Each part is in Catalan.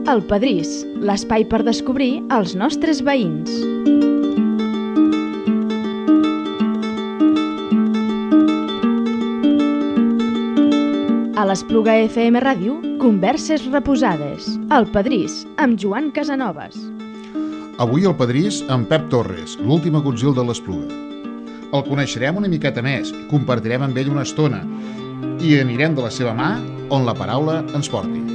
El Pedrís, l'espai per descobrir els nostres veïns. A l'Espluga FM Ràdio, converses reposades. El Pedrís, amb Joan Casanovas. Avui el Pedrís amb Pep Torres, l'últim agutzil de l'Espluga. El coneixerem una miqueta més, compartirem amb ell una estona i anirem de la seva mà on la paraula ens porti.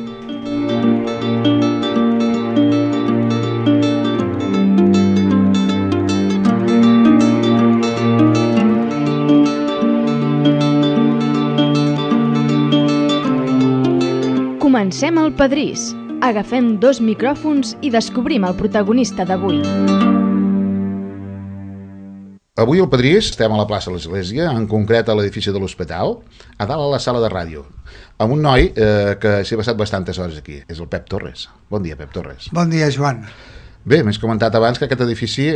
Comencem el Pedrís. Agafem 2 micròfons i descobrim el protagonista d'avui. Avui al Pedrís estem a la plaça de l'Església, en concret a l'edifici de l'Hospital, a dalt a la sala de ràdio, amb un noi que s'hi ha passat bastantes hores aquí. És el Pep Torres. Bon dia, Pep Torres. Bon dia, Joan. Bé, m'has comentat abans que aquest edifici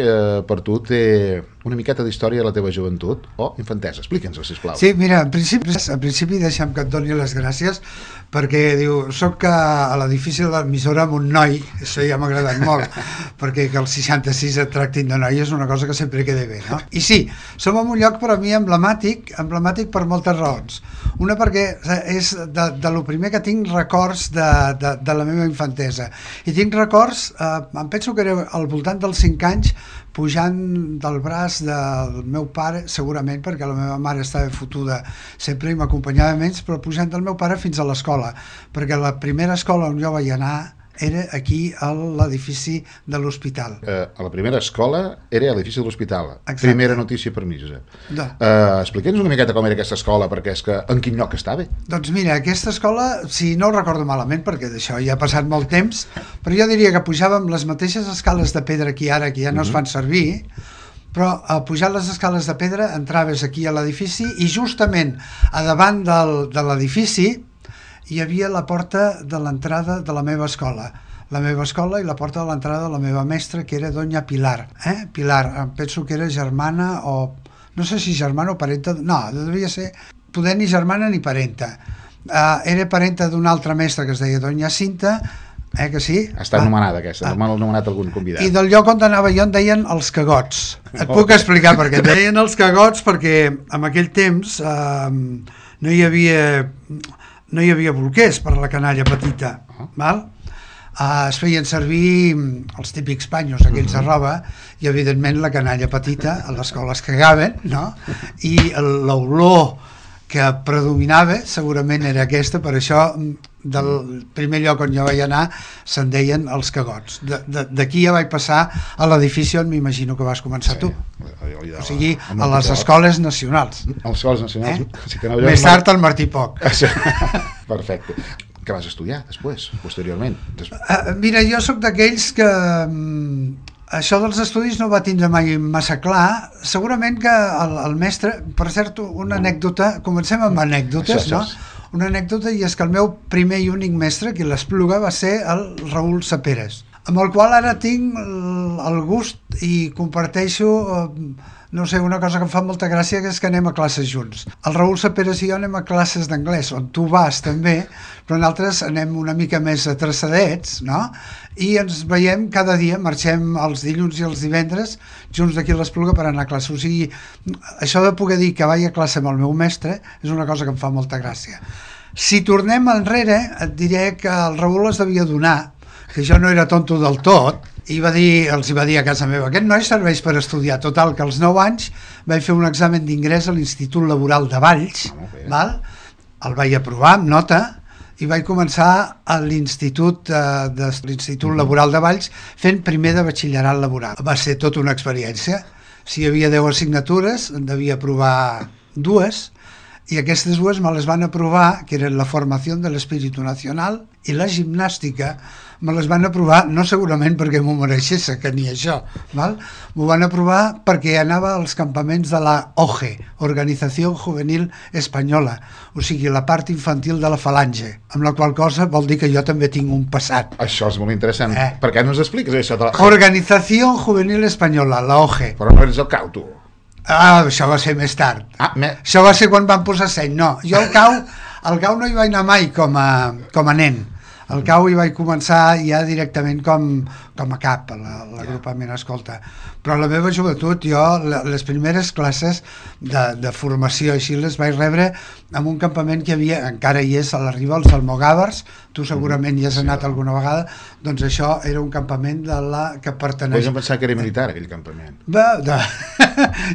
per tu té una miqueta d'història de la teva joventut o infantesa. Explica'ns-ho, sisplau. Sí, mira, en principi deixa'm que et doni les gràcies perquè diu, soc a l'edifici de l'emissora amb un noi, això ja m'ha agradat molt, perquè que els 66 et tractin de noi és una cosa que sempre queda bé, no? I sí, som en un lloc per a mi emblemàtic per moltes raons. Una perquè és de lo primer que tinc records de la meva infantesa. I tinc records, em penso que era al voltant dels 5 anys, pujant del braç del meu pare, segurament perquè la meva mare estava fotuda sempre i m'acompanyava menys, però pujant del meu pare fins a l'escola, perquè la primera escola on jo vaig anar era aquí a l'edifici de l'hospital. A la primera escola era a l'edifici de l'hospital. Exacte. Primera notícia per mi, Josep. Explica'ns una miqueta com era aquesta escola, perquè és que en quin lloc estava? Doncs mira, aquesta escola, si no ho recordo malament, perquè d'això ja ha passat molt temps, però jo diria que pujàvem les mateixes escales de pedra que ara, que ja no es fan servir, però pujant les escales de pedra entraves aquí a l'edifici i justament a davant de l'edifici hi havia la porta de l'entrada de la meva escola. La meva escola i la porta de l'entrada de la meva mestra, que era Doña Pilar. Pilar, em penso que era germana o... no sé si germana o parenta... No, devia ser poder ni germana ni parenta. Era parenta d'una altra mestra que es deia Doña Cinta, que sí? Està anomenada aquesta, m'ha anomenat algun convidat. I del lloc on anava jo en deien els cagots. Et puc explicar per què. Deien els cagots perquè en aquell temps no hi havia bolquers per a la canalla petita, val? Es feien servir els típics panyos aquells de roba i evidentment la canalla petita a l'escola es cagaven, no? I l'olor que predominava segurament era aquesta, per això del primer lloc on jo vaig anar se'n deien els cagots. D'aquí ja vaig passar a l'edifici on m'imagino que vas començar tu, o sigui a les escoles nacionals. A les escoles nacionals? Més tard al Martí Poc. Perfecte. Què vas estudiar després, posteriorment? Mira, jo sóc d'aquells que això dels estudis no va tindre mai massa clar. Segurament que el mestre, per cert, una anècdota, comencem amb anècdotes, no? Una anècdota, i és que el meu primer i únic mestre aquí a l'Espluga va ser el Raül Saperes, amb el qual ara tinc el gust i comparteixo, no sé, una cosa que em fa molta gràcia, que és que anem a classes junts. El Raül Saperes i jo anem a classes d'anglès, on tu vas també, però nosaltres anem una mica més atrasadets, no? I ens veiem cada dia, marxem els dilluns i els divendres junts d'aquí a l'Espluga per anar a classe. O sigui, això de poder dir que vaig a classe amb el meu mestre és una cosa que em fa molta gràcia. Si tornem enrere, et diré que el Raül es devia donar que jo no era tonto del tot, i els va dir a casa meva, aquest noi serveix per estudiar. Total, que als 9 anys vaig fer un examen d'ingrés a l'Institut Laboral de Valls, el vaig aprovar amb nota, i vaig començar a l'Institut Laboral de Valls fent primer de batxillerat laboral. Va ser tota una experiència. Si hi havia 10 assignatures, en devia aprovar 2, i aquestes 2 me les van aprovar, que eren la formació de l'espíritu nacional i la gimnàstica. Me les van aprovar, no segurament perquè m'ho mereixés, que ni això, val? M'ho van aprovar perquè anava als campaments de la OGE, Organizació Juvenil Espanyola, o sigui, la part infantil de la falange, amb la qual cosa vol dir que jo també tinc un passat. Això és molt interessant. Per què no ens expliques això? Organizació Juvenil Espanyola, la OGE. Però no eres el cau, tu. Això va ser més tard. Això va ser quan van posar seny. No, jo al cau no hi vaig anar mai com a nen. Al cau hi vaig començar ja directament com a cap, l'agrupament escolta. Però a la meva joventut, jo, les primeres classes de formació així les vaig rebre en un campament que hi havia, encara hi és a la Riba, els Almogàvers, tu segurament hi has anat alguna vegada, doncs això era un campament que pertaneix... Podríem pensar que era militar, aquell campament.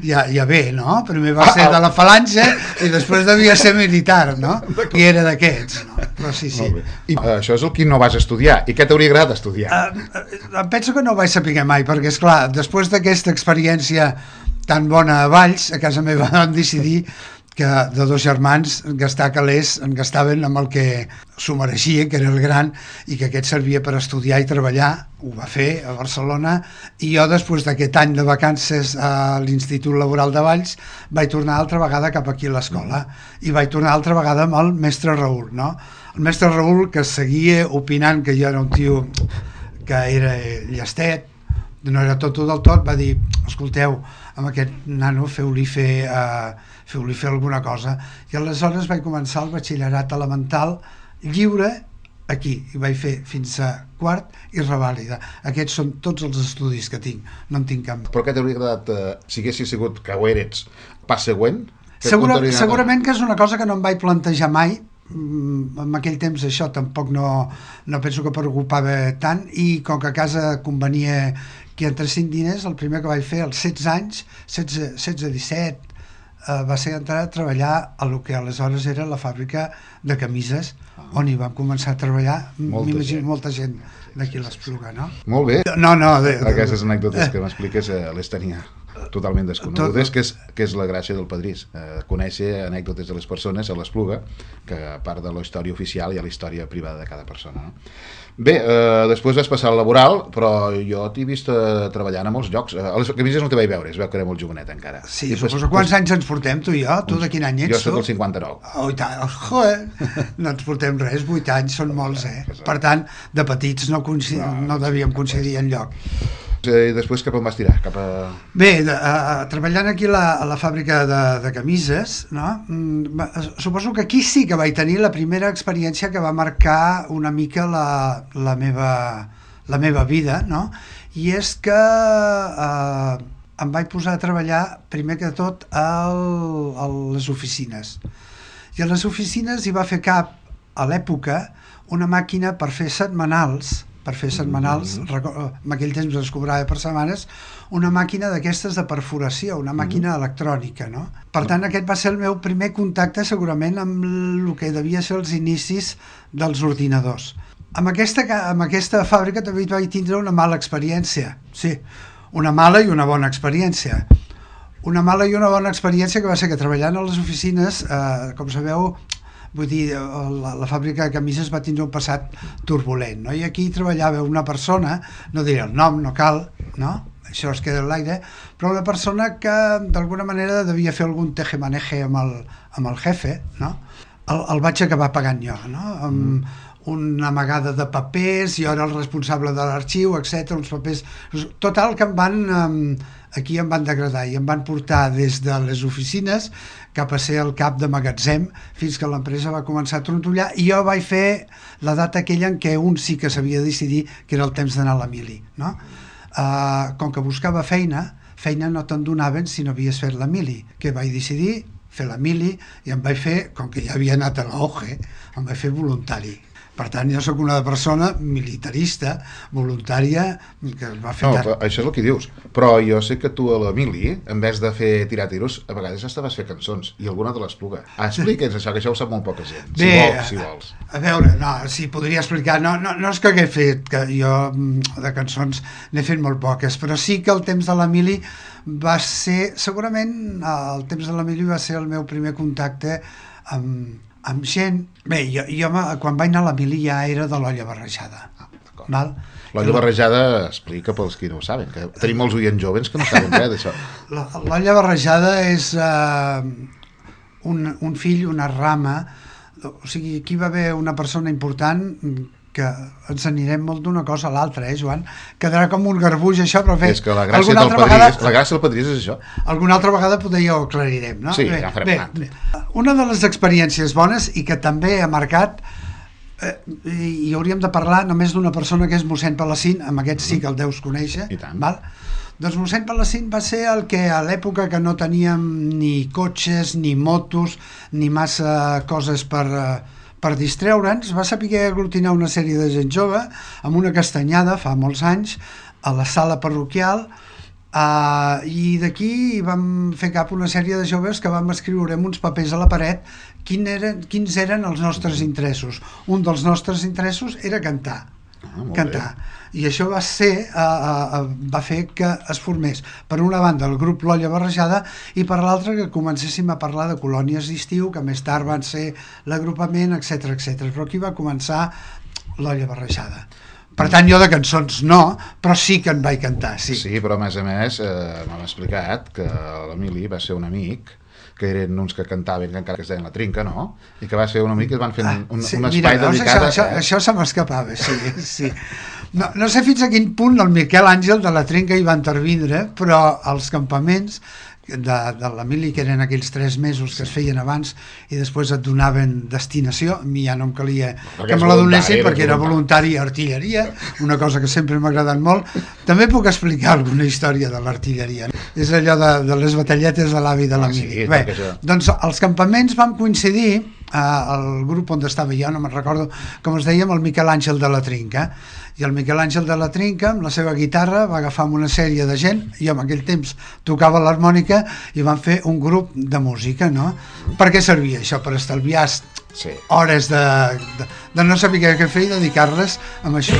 Ja bé, no? Primer va ser de la falange i després devia ser militar, no? I era d'aquests, no? Però sí. I això és el que no vas estudiar. I què t'hauria agradat estudiar? Penso que no ho vaig saber mai, perquè, esclar, després d'aquesta experiència tan bona a Valls, a casa meva vam decidir que de dos germans gastar calés en gastaven amb el que s'ho mereixia, que era el gran, i que aquest servia per estudiar i treballar. Ho va fer a Barcelona, i jo després d'aquest any de vacances a l'Institut Laboral de Valls vaig tornar altra vegada cap aquí a l'escola, i vaig tornar altra vegada amb el mestre Raül, no? El mestre Raül, que seguia opinant que jo era un tio que era llestet, no era tot del tot, va dir, escolteu, amb aquest nano feu-li fer alguna cosa. I aleshores vaig començar el batxillerat elemental lliure aquí, i vaig fer fins a quart i revàlida. Aquests són tots els estudis que tinc, no en tinc cap. Però què t'hauria agradat, si haguessis sigut que ho eres, pas següent? Segurament que és una cosa que no em vaig plantejar mai. En aquell temps això tampoc no penso que preocupava tant, i com que a casa convenia que entressin diners, el primer que vaig fer als 16 anys, 16-17, va ser entrar a treballar a lo que aleshores era la fàbrica de camises, on hi vam començar a treballar, m'imagino molta gent d'aquí a l'Espluga, no? Molt bé. No. Aquestes anècdotes que m'expliques les tenia totalment desconegudes, que és la gràcia del Padrís, conèixer anècdotes de les persones a l'Espluga, que a part de la història oficial hi ha la història privada de cada persona, no? Bé, després vas passar al laboral, però jo t'he vist treballant a molts llocs. A les camises no te vaig veure, es veu que era molt jovenet encara. Sí, suposo. Quants anys ens portem, tu i jo? Tu de quin any ets? Jo soc del 59. Oh, i tant, joder, no ens portem res, 8 anys són molts, Per tant, de petits no devíem coincidir enlloc. I després cap on vas tirar? Bé, treballant aquí a la fàbrica de camises, no? Suposo que aquí sí que vaig tenir la primera experiència que va marcar una mica la meva vida, no? I és que em vaig posar a treballar primer que tot a les oficines. I a les oficines hi va fer cap, a l'època, una màquina per fer setmanals, en aquell temps es cobrava per setmanes, una màquina d'aquestes de perforació, una màquina electrònica, no? Per tant, aquest va ser el meu primer contacte segurament amb el que devia ser els inicis dels ordinadors. Amb aquesta fàbrica també vaig tindre una mala experiència, sí, una mala i una bona experiència. Una mala i una bona experiència que va ser que treballant a les oficines, com sabeu, vull dir, la fàbrica de camises va tindre un passat turbulent, no? I aquí treballava una persona, no diré el nom, no cal, no? Això es queda en l'aire, però una persona que d'alguna manera devia fer algun tejemaneje amb el jefe, no? El vaig acabar pagant jo, no? Amb una amagada de papers, jo era el responsable de l'arxiu, etc, uns papers... Total, que aquí em van degradar i em van portar des de les oficines cap a ser el cap de magatzem, fins que l'empresa va començar a trontollar, i jo vaig fer la data aquella en què un sí que s'havia de decidir que era el temps d'anar a la mili, no? Com que buscava feina no te'n donaven si no havies fet la mili, que vaig decidir fer la mili, i em vaig fer, com que ja havia anat a la OGE, em vaig fer voluntari. Per tant, jo sóc una persona militarista, voluntària, que va fer... No, això és el que dius. Però jo sé que tu a la mili, en vez de fer tirar tiros, a vegades estaves fer cançons, i alguna de l'Espluga. Explica'ns això, que això ho sap molt poca gent, si vols. A veure, no, si podria explicar, no és que hagué fet, que jo de cançons n'he fet molt poques, però sí que el temps de la mili va ser, segurament el temps de la mili va ser el meu primer contacte amb gent... Bé, jo quan vaig anar a la mili ja era de l'olla barrejada. L'olla barrejada, explica pels qui no ho saben, que tenim molts oients joves que no saben res d'això. L'olla barrejada és un fill, una rama, o sigui, aquí va haver una persona important que ens anirem molt d'una cosa a l'altra, Joan? Quedarà com un garbuix això, però bé, és que la gràcia del Padrís és això. Alguna altra vegada potser ja ho aclarirem, no? Sí, ja farem un altre. Una de les experiències bones i que també ha marcat i hauríem de parlar només d'una persona que és mossèn Palacín, amb aquest sí que el deus conèixer, val? Doncs mossèn Palacín va ser el que a l'època que no teníem ni cotxes, ni motos, ni massa coses per distreure'ns, va saber aglutinar una sèrie de gent jove amb una castanyada fa molts anys a la sala parroquial, i d'aquí vam fer cap una sèrie de joves que vam escriure amb uns papers a la paret quins eren els nostres interessos. Un dels nostres interessos era cantar. I això va fer que es formés per una banda el grup L'Olla Barrejada i per l'altra que comencéssim a parlar de colònies d'estiu, que més tard van ser l'agrupament, etc. Però aquí va començar L'Olla Barrejada. Per tant, jo de cançons no, però sí que en vaig cantar, sí. Sí, però a més m'han explicat que l'Emili va ser un amic, que eren uns que cantaven, que encara que es deien La Trinca, no? I que va ser un amic que es van fer un espai dedicat... Això se m'escapava, sí. No sé fins a quin punt el Miquel Àngel de La Trinca hi va intervindre, però els campaments de l'Emili, que eren aquells 3 mesos que es feien abans i després et donaven destinació, a mi ja no em calia que me la donessin perquè era voluntari a artilleria, una cosa que sempre m'ha agradat molt. També puc explicar alguna història de l'artilleria, és allò de les batalletes de l'avi de l'Emili. Bé, doncs els campaments vam coincidir, el grup on estava jo, no me'n recordo com es deia, amb el Miquel Àngel de La Trinca, i el Miquel Àngel de La Trinca amb la seva guitarra va agafar una sèrie de gent, jo en aquell temps tocava l'harmònica i van fer un grup de música, no? Per què servia això? Per estalviar hores de no saber què fer i dedicar-les a això.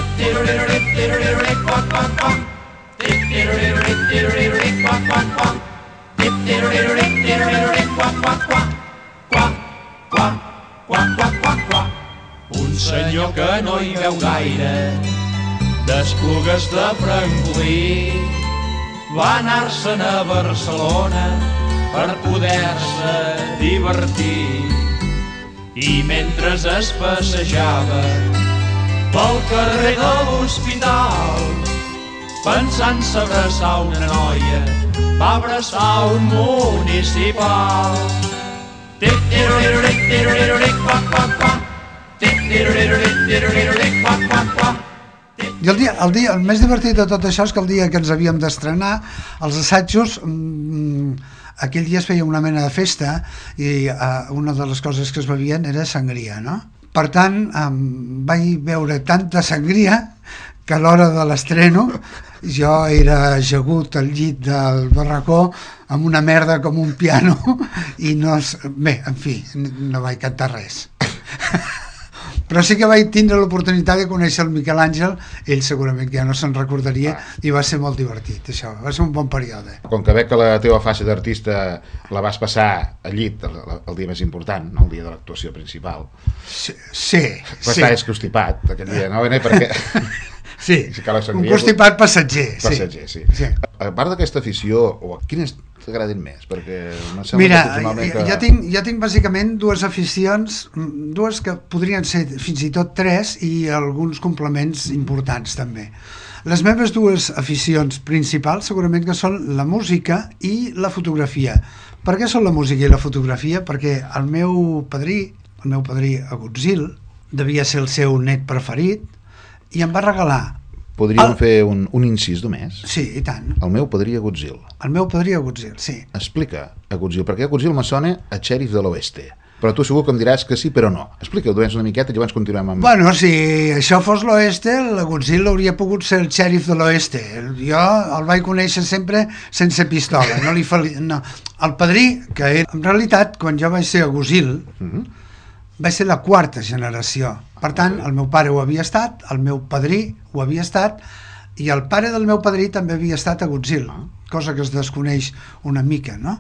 Un senyor que no hi veu gaire d'Esplugues de Francolí va anar-se'n a Barcelona per poder-se divertir i mentre es passejava pel carrer de l'Hospital pensant-se abraçar una noia va abraçar un municipal. I el més divertit de tot això és que el dia que ens havíem d'estrenar, els assajos, aquell dia es feia una mena de festa i una de les coses que es bevien era sangria, no? Per tant, vaig veure tanta sangria que a l'hora de l'estreno jo era ajagut al llit del barracó amb una merda com un piano i no... Bé, en fi, no vaig cantar res. Però sí que vaig tindre l'oportunitat de conèixer el Miquel Àngel, ell segurament que ja no se'n recordaria, i va ser molt divertit, això, va ser un bon període. Com que veig que la teva fase d'artista la vas passar al llit el dia més important, no el dia de l'actuació principal. Sí. Va estar constipat aquell dia, no? Perquè... Sí, un constipat passatger. Sí. A part d'aquesta afició, quines t'agraden més? Perquè mira, jo tinc bàsicament dues aficions, dues que podrien ser fins i tot 3 i alguns complements importants també. Les meves dues aficions principals segurament que són la música i la fotografia. Per què són la música i la fotografia? Perquè el meu padrí Agutzil, devia ser el seu net preferit, i em va regalar... Podríem fer un incís només? Sí, i tant. El meu padrí Agutzil. El meu padrí Agutzil, sí. Explica Agutzil, perquè Agutzil me sona a xèrif de l'Oeste. Però tu segur que em diràs que sí, però no. Explica-ho una miqueta i llavors continuem amb... Bueno, si això fos l'Oeste, l'Agutzil hauria pogut ser el xèrif de l'Oeste. Jo el vaig conèixer sempre sense pistola. El padrí, que era... En realitat, quan jo vaig ser Agutzil... vaig ser la 4ª generació. Per tant, el meu pare ho havia estat, el meu padrí ho havia estat, i el pare del meu padrí també havia estat Agutzil, cosa que es desconeix una mica, no?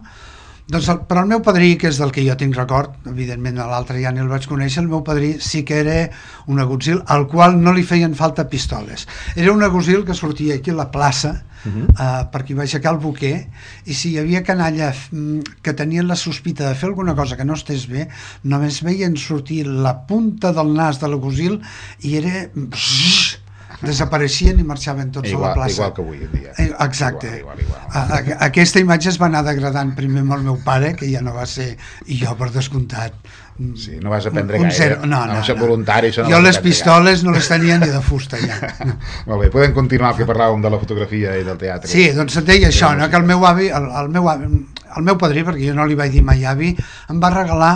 Doncs però el meu padrí, que és del que jo tinc record, evidentment l'altre ja ni el vaig conèixer, el meu padrí sí que era un agutzil al qual no li feien falta pistoles. Era un agutzil que sortia aquí a la plaça, perquè va aixecar el boquer, i si hi havia canalla que tenien la sospita de fer alguna cosa que no estés bé, només veien sortir la punta del nas de l'agutzil i era... desapareixien i marxaven tots a la plaça. Igual que avui en dia. Exacte. Igual. Aquesta imatge es va anar degradant primer amb el meu pare, que ja no va ser, i jo per descomptat. Sí, no vas aprendre gaire. No. Ser voluntari. Jo les pistoles no les tenia ni de fusta ja. Molt bé, podem continuar, que parlàvem de la fotografia i del teatre. Sí, doncs et deia això, no? Que el meu avi, el meu padrí, perquè jo no li vaig dir mai avi, em va regalar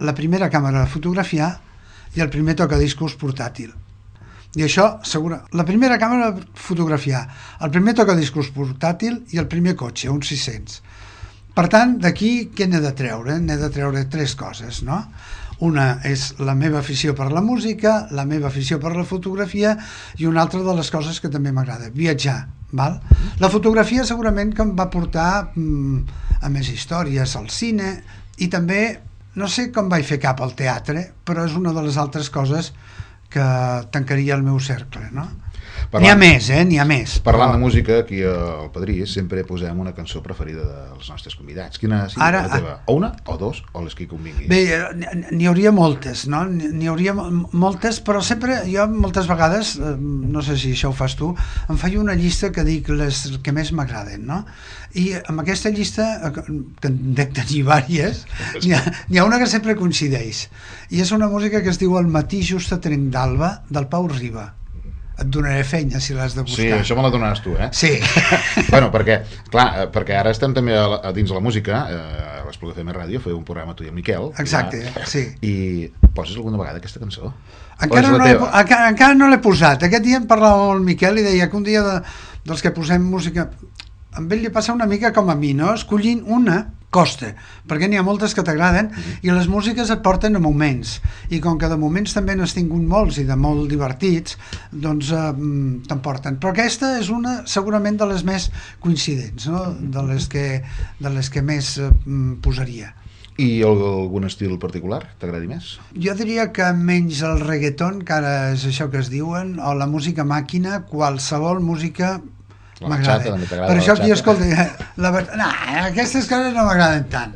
la primera càmera de fotografiar i el primer tocadiscos portàtil. I això, segura, la primera càmera de fotografiar, el primer tocadiscos portàtil i el primer cotxe, un 600. Per tant, d'aquí què n'he de treure? N'he de treure 3 coses, no? Una és la meva afició per la música, la meva afició per la fotografia i una altra de les coses que també m'agrada, viatjar. Val? La fotografia segurament que em va portar a més històries, al cine, i també, no sé com vaig fer cap al teatre, però és una de les altres coses que tancaria el meu cercle, no? N'hi ha més, n'hi ha més. Parlant de música, aquí al Padrís sempre posem una cançó preferida dels nostres convidats. Quina és la teva? O una, o 2, o les que convingui? Bé, n'hi hauria moltes, no? N'hi hauria moltes, però sempre, jo moltes vegades, no sé si això ho fas tu, em faig una llista que dic les que més m'agraden, no? I amb aquesta llista, que en dec tenir diverses, n'hi ha una que sempre coincideix, i és una música que es diu El matí just a trenc d'alba, del Pau Riba. Et donaré feina si l'has de buscar. Sí, això me la donaràs tu, Sí. Bueno, perquè ara estem també a dins de la música, a l'Espluga FM Ràdio, feu un programa tu i el Miquel. Exacte, sí. I poses alguna vegada aquesta cançó? Encara no l'he posat. Aquest dia em parlava amb el Miquel i deia que un dia dels que posem música... Amb ell li passa una mica com a mi, no? Escollint una costa, perquè n'hi ha moltes que t'agraden i les músiques et porten a moments, i com que de moments també n'has tingut molts i de molt divertits, doncs t'emporten. Però aquesta és una segurament de les més coincidents, no? De les que més posaria. I algun estil particular t'agradi més? Jo diria que menys el reggaeton, que ara és això que es diuen, o la música màquina, qualsevol música m'agrada. Per això qui escolti aquestes coses no m'agraden tant.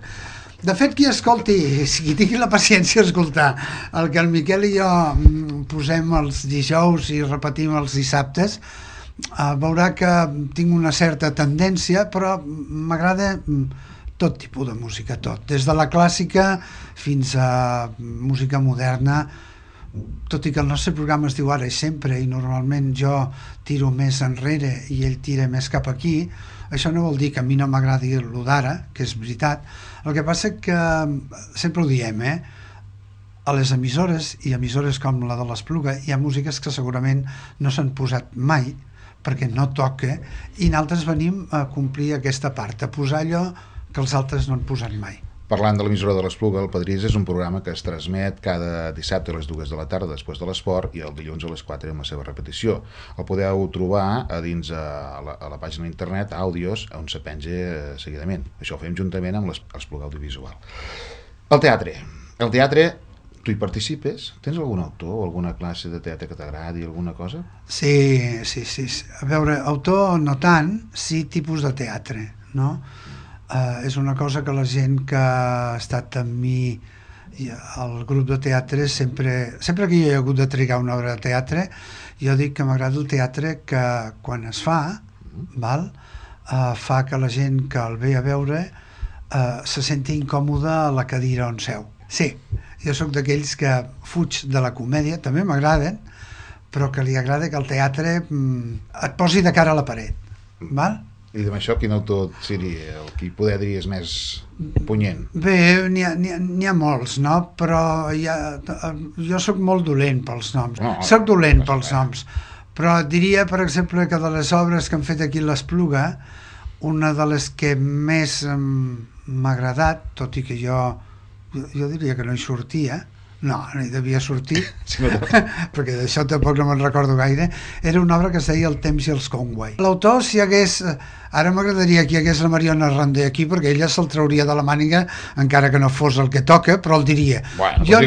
De fet, qui escolti, qui tingui la paciència d'escoltar el que el Miquel i jo posem els dijous i repetim els dissabtes, veurà que tinc una certa tendència, però m'agrada tot tipus de música, tot, des de la clàssica fins a música moderna. Tot i que el nostre programa es diu Ara i Sempre i normalment jo tiro més enrere i ell tira més cap aquí, això no vol dir que a mi no m'agradi el d'ara, que és veritat. El que passa que sempre ho diem, a les emissores i emissores com la de l'Espluga hi ha músiques que segurament no s'han posat mai perquè no toca, i nosaltres venim a complir aquesta part, a posar allò que els altres no han posat mai. Parlant de l'emissora de l'Espluga, el Padrís és un programa que es transmet cada dissabte a les 2 de la tarda després de l'esport i el dilluns a les 4 amb la seva repetició. El podeu trobar a dins a la pàgina d'internet àudios on se penja seguidament. Això ho fem juntament amb l'Espluga Audiovisual. El teatre, tu hi participes? Tens algun autor o alguna classe de teatre que t'agradi, alguna cosa? Sí. A veure, autor no tant, sí tipus de teatre, no? És una cosa que la gent que ha estat amb mi al grup de teatre, sempre que jo he hagut de trigar una obra de teatre, jo dic que m'agrada el teatre que quan es fa, fa que la gent que el ve a veure se senti incòmode a la cadira on seu. Sí, jo sóc d'aquells que fuig de la comèdia, també m'agraden, però que li agrada que el teatre et posi de cara a la paret, val? I amb això, quin autor seria el que poder diries més punyent? Bé, n'hi ha molts, no? Però jo sóc molt dolent pels noms. Soc dolent pels noms. Però diria, per exemple, que de les obres que han fet aquí a l'Espluga, una de les que més m'ha agradat, tot i que jo diria que no hi sortia, no hi devia sortir, perquè d'això tampoc no me'n recordo gaire, era una obra que es deia El temps i els Conway. L'autor, si hagués Ara m'agradaria que hi hagués la Mariona Randé aquí, perquè ella se'l trauria de la màniga, encara que no fos el que toca, però el diria. Bueno, jo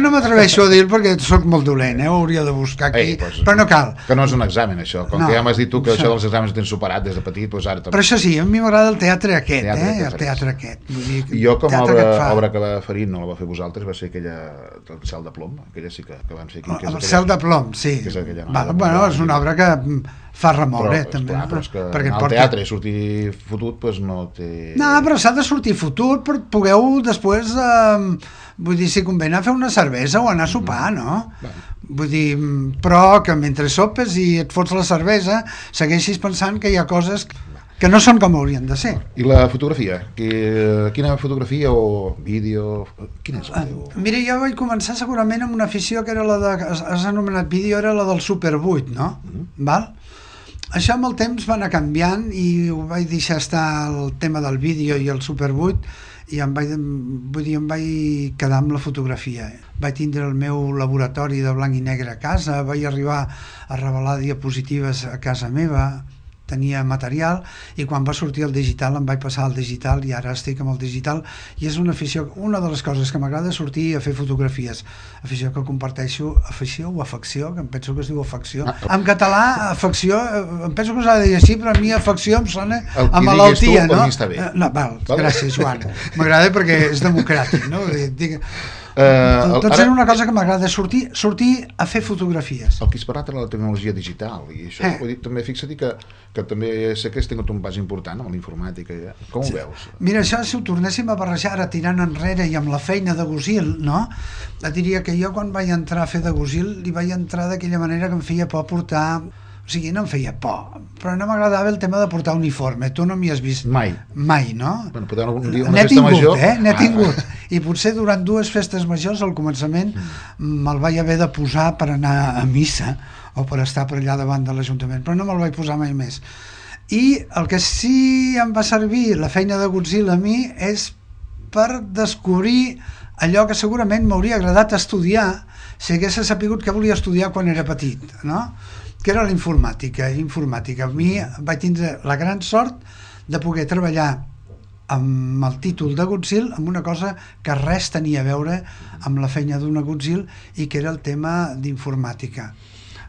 no m'atreveixo a dir perquè sóc molt dolent, ho hauria de buscar aquí, però no cal. Que no és un examen, això. Com que ja m'has dit tu que això dels exàmens ho tens superat des de petit, doncs ara també. Però això sí, a mi m'agrada el teatre aquest, el teatre aquest. Jo, com a obra que va fer, no la va fer vosaltres, va ser aquella del Cel de Plom, aquella sí que van fer aquí. El Cel de Plom, sí. Bueno, és una obra que fa remoure, també. Però és que en el teatre sortir fotut, doncs no té... No, però s'ha de sortir fotut, però pugueu després, vull dir, si convé anar a fer una cervesa o anar a sopar, no? Vull dir, però que mentre sopes i et fots la cervesa, segueixis pensant que hi ha coses que no són com haurien de ser. I la fotografia? Quina fotografia o vídeo? Quina és el teu? Mira, jo vaig començar segurament amb una afició que era la de... Has anomenat vídeo, era la del Super 8, no? Val? Això amb el temps va anar canviant i ho vaig deixar estar el tema del vídeo i el Super 8 i em vaig quedar amb la fotografia. Vaig tindre el meu laboratori de blanc i negre a casa, vaig arribar a revelar diapositives a casa meva, tenia material, i quan va sortir el digital em vaig passar al digital i ara estic amb el digital, i és una afició, una de les coses que m'agrada sortir a fer fotografies, afició que comparteixo, afició o afecció, que em penso que es diu afecció. En català, afecció, em penso que s'ha de dir així, però a mi afecció em sona a malaltia, no? No, val, gràcies, Joan. M'agrada perquè és democràtic, no? Doncs era una cosa que m'agrada, sortir a fer fotografies. El que has parlat era la tecnologia digital, i això, també fixa't que també sé que has tingut un pas important amb la informàtica. Com ho veus? Mira, això, si ho tornéssim a barrejar ara tirant enrere i amb la feina de Gusil, no? Et diria que jo quan vaig entrar a fer de Gusil li vaig entrar d'aquella manera que em feia por portar... O sigui, no em feia por, però no m'agradava el tema de portar uniforme. Tu no m'hi has vist mai, no? Bueno, potser algun dia una festa major... N'he tingut. I potser durant 2 festes majors, al començament, me'l vaig haver de posar per anar a missa o per estar per allà davant de l'Ajuntament, però no me'l vaig posar mai més. I el que sí em va servir la feina de Godzilla a mi és per descobrir allò que segurament m'hauria agradat estudiar si hagués sapigut què volia estudiar quan era petit, no? Que era la informàtica. A mi vaig tindre la gran sort de poder treballar amb el títol de Godzilla amb una cosa que res tenia a veure amb la feina d'una Godzilla i que era el tema d'informàtica.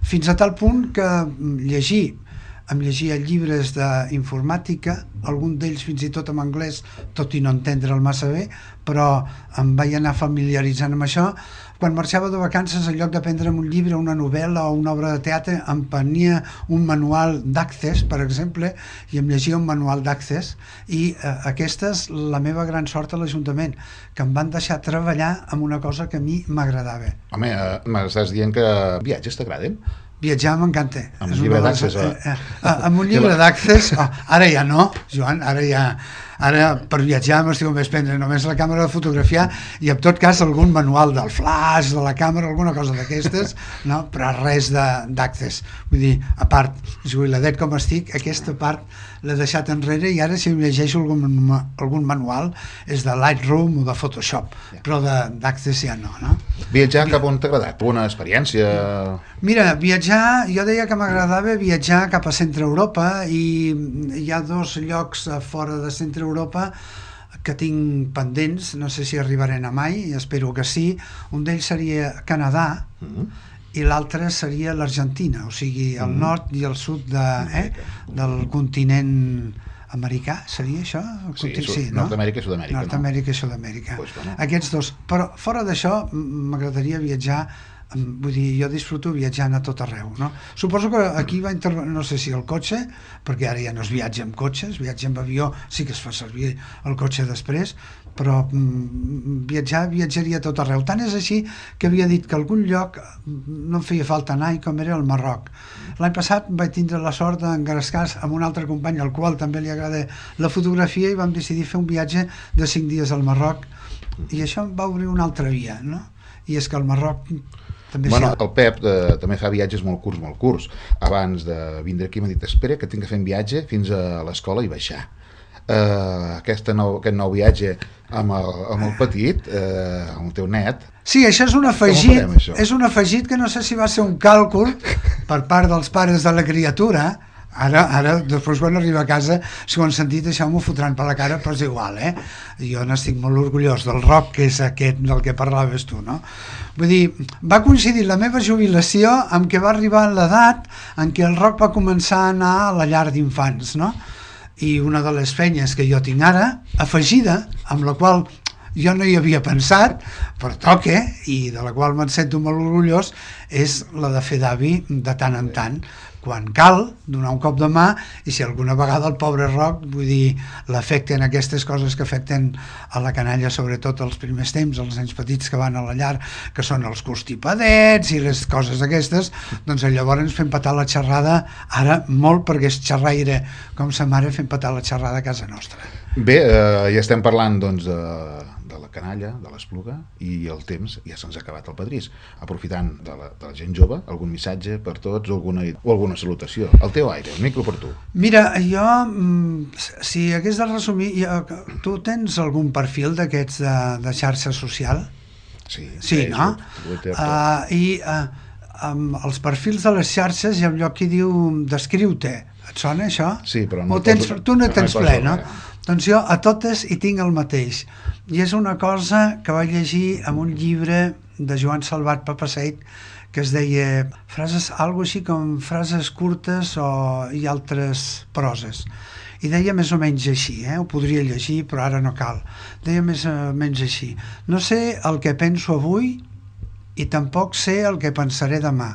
Fins a tal punt que em llegia llibres d'informàtica, algun d'ells fins i tot en anglès, tot i no entendre'l massa bé, però em vaig anar familiaritzant amb això. Quan marxava de vacances, en lloc d'aprendre'm un llibre, una novel·la o una obra de teatre, em prenia un manual d'Access, per exemple, i em llegia un manual d'Access, i aquesta és la meva gran sort a l'Ajuntament, que em van deixar treballar amb una cosa que a mi m'agradava. Home, m'estàs dient que viatges t'agraden? Viatjar m'encanta. Amb un llibre d'Access? Amb un llibre d'Access, ara ja no, Joan, ara per viatjar m'estic només prendre només la càmera de fotografiar i en tot cas algun manual del flash, de la càmera, alguna cosa d'aquestes, no? Però res d'Access. Vull dir, a part, jubiladet com estic, aquesta part l'he deixat enrere i ara si em llegeixo algun manual és de Lightroom o de Photoshop, però d'Access ja no, no? Viatjar cap on t'ha agradat? Una experiència? Mira, viatjar, jo deia que m'agradava viatjar cap a Centre Europa i hi ha 2 llocs fora de Centre Europa que tinc pendents, no sé si arribarem a mai, espero que sí. Un d'ells seria Canadà i l'altre seria l'Argentina, o sigui, el nord i el sud del continent americà, seria això? Sí, Nord-Amèrica i Sud-amèrica. Nord-Amèrica i Sud-amèrica. Pues bueno. Aquests 2. Però fora d'això m'agradaria viatjar, vull dir, jo disfruto viatjant a tot arreu, no? Suposo que aquí va intervenir, no sé si el cotxe, perquè ara ja no es viatja amb cotxes, viatja amb avió, sí que es fa servir el cotxe després, però viatjaria a tot arreu. Tant és així que havia dit que algun lloc no em feia falta anar, i com era el Marroc. L'any passat vaig tindre la sort d'engrescar amb un altre company al qual també li agrada la fotografia i vam decidir fer un viatge de 5 dies al Marroc i això em va obrir una altra via, no? I és que el Marroc també... Bueno, el Pep també fa viatges molt curts. Abans de vindre aquí m'ha dit espera que tinc que fer un viatge fins a l'escola i baixar. Aquest nou viatge amb el petit, amb el teu net. Sí, això és un afegit que no sé si va ser un càlcul per part dels pares de la criatura, Ara, després quan arriba a casa, si ho han sentit, això m'ho fotran per la cara, però és igual, Jo n'estic molt orgullós del rock, que és aquest del que parlaves tu, no? Vull dir, va coincidir la meva jubilació amb que va arribar l'edat en què el rock va començar a anar a la llar d'infants, no? I una de les feines que jo tinc ara, afegida, amb la qual jo no hi havia pensat, però toca, i de la qual me'n sento molt orgullós, és la de fer d'avi de tant en tant, quan cal, donar un cop de mà, i si alguna vegada el pobre rock, vull dir, l'afecten aquestes coses que afecten a la canalla, sobretot als primers temps, els nens petits que van a la llar, que són els constipadets i les coses aquestes, doncs llavors fem petar la xerrada, ara molt, perquè és xerraire com sa mare, fem petar la xerrada a casa nostra. Bé, ja estem parlant doncs de la canalla, de l'Espluga, i el temps ja se'ns ha acabat el Padrís. Aprofitant de la gent jove, algun missatge per tots o alguna salutació. El teu aire, el micro per tu. Mira, jo, si hagués de resumir, tu tens algun perfil d'aquests de xarxa social? Sí, no? I els perfils de les xarxes hi ha un lloc que diu descriu-te. Et sona això? Sí, però no... Tu no tens ple, no? Doncs jo a totes hi tinc el mateix. I és una cosa que vaig llegir en un llibre de Joan Salvat Papaseit que es deia algo així com frases curtes i altres proses. I deia més o menys així, ho podria llegir però ara no cal. Deia més o menys així: no sé el que penso avui i tampoc sé el que pensaré demà.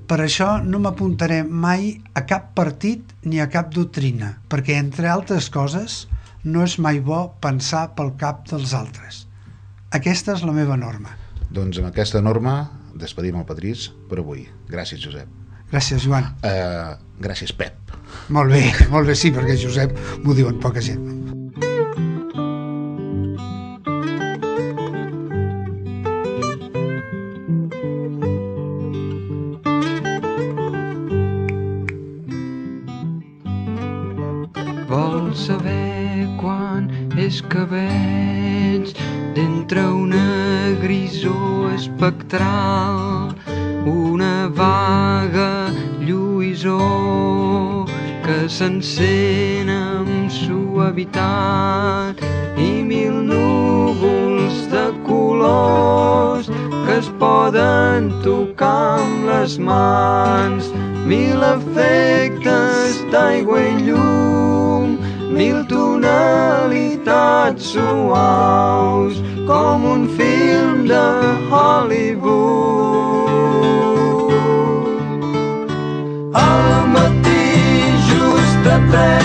Per això no m'apuntaré mai a cap partit ni a cap doctrina, perquè, entre altres coses, no és mai bo pensar pel cap dels altres. Aquesta és la meva norma. Doncs amb aquesta norma despedim el Padrís per avui. Gràcies, Josep. Gràcies, Joan. Gràcies, Pep. Molt bé, sí, perquè Josep m'ho diuen poca gent. Vols saber quan és que veig d'entre una grisor espectral una vaga lluïsor que s'encén amb suavitat i mil núvols de colors que es poden tocar amb les mans, mil efectes d'aigua i llum, mil tonalitats suaus com un film de Hollywood. Al matí just a tres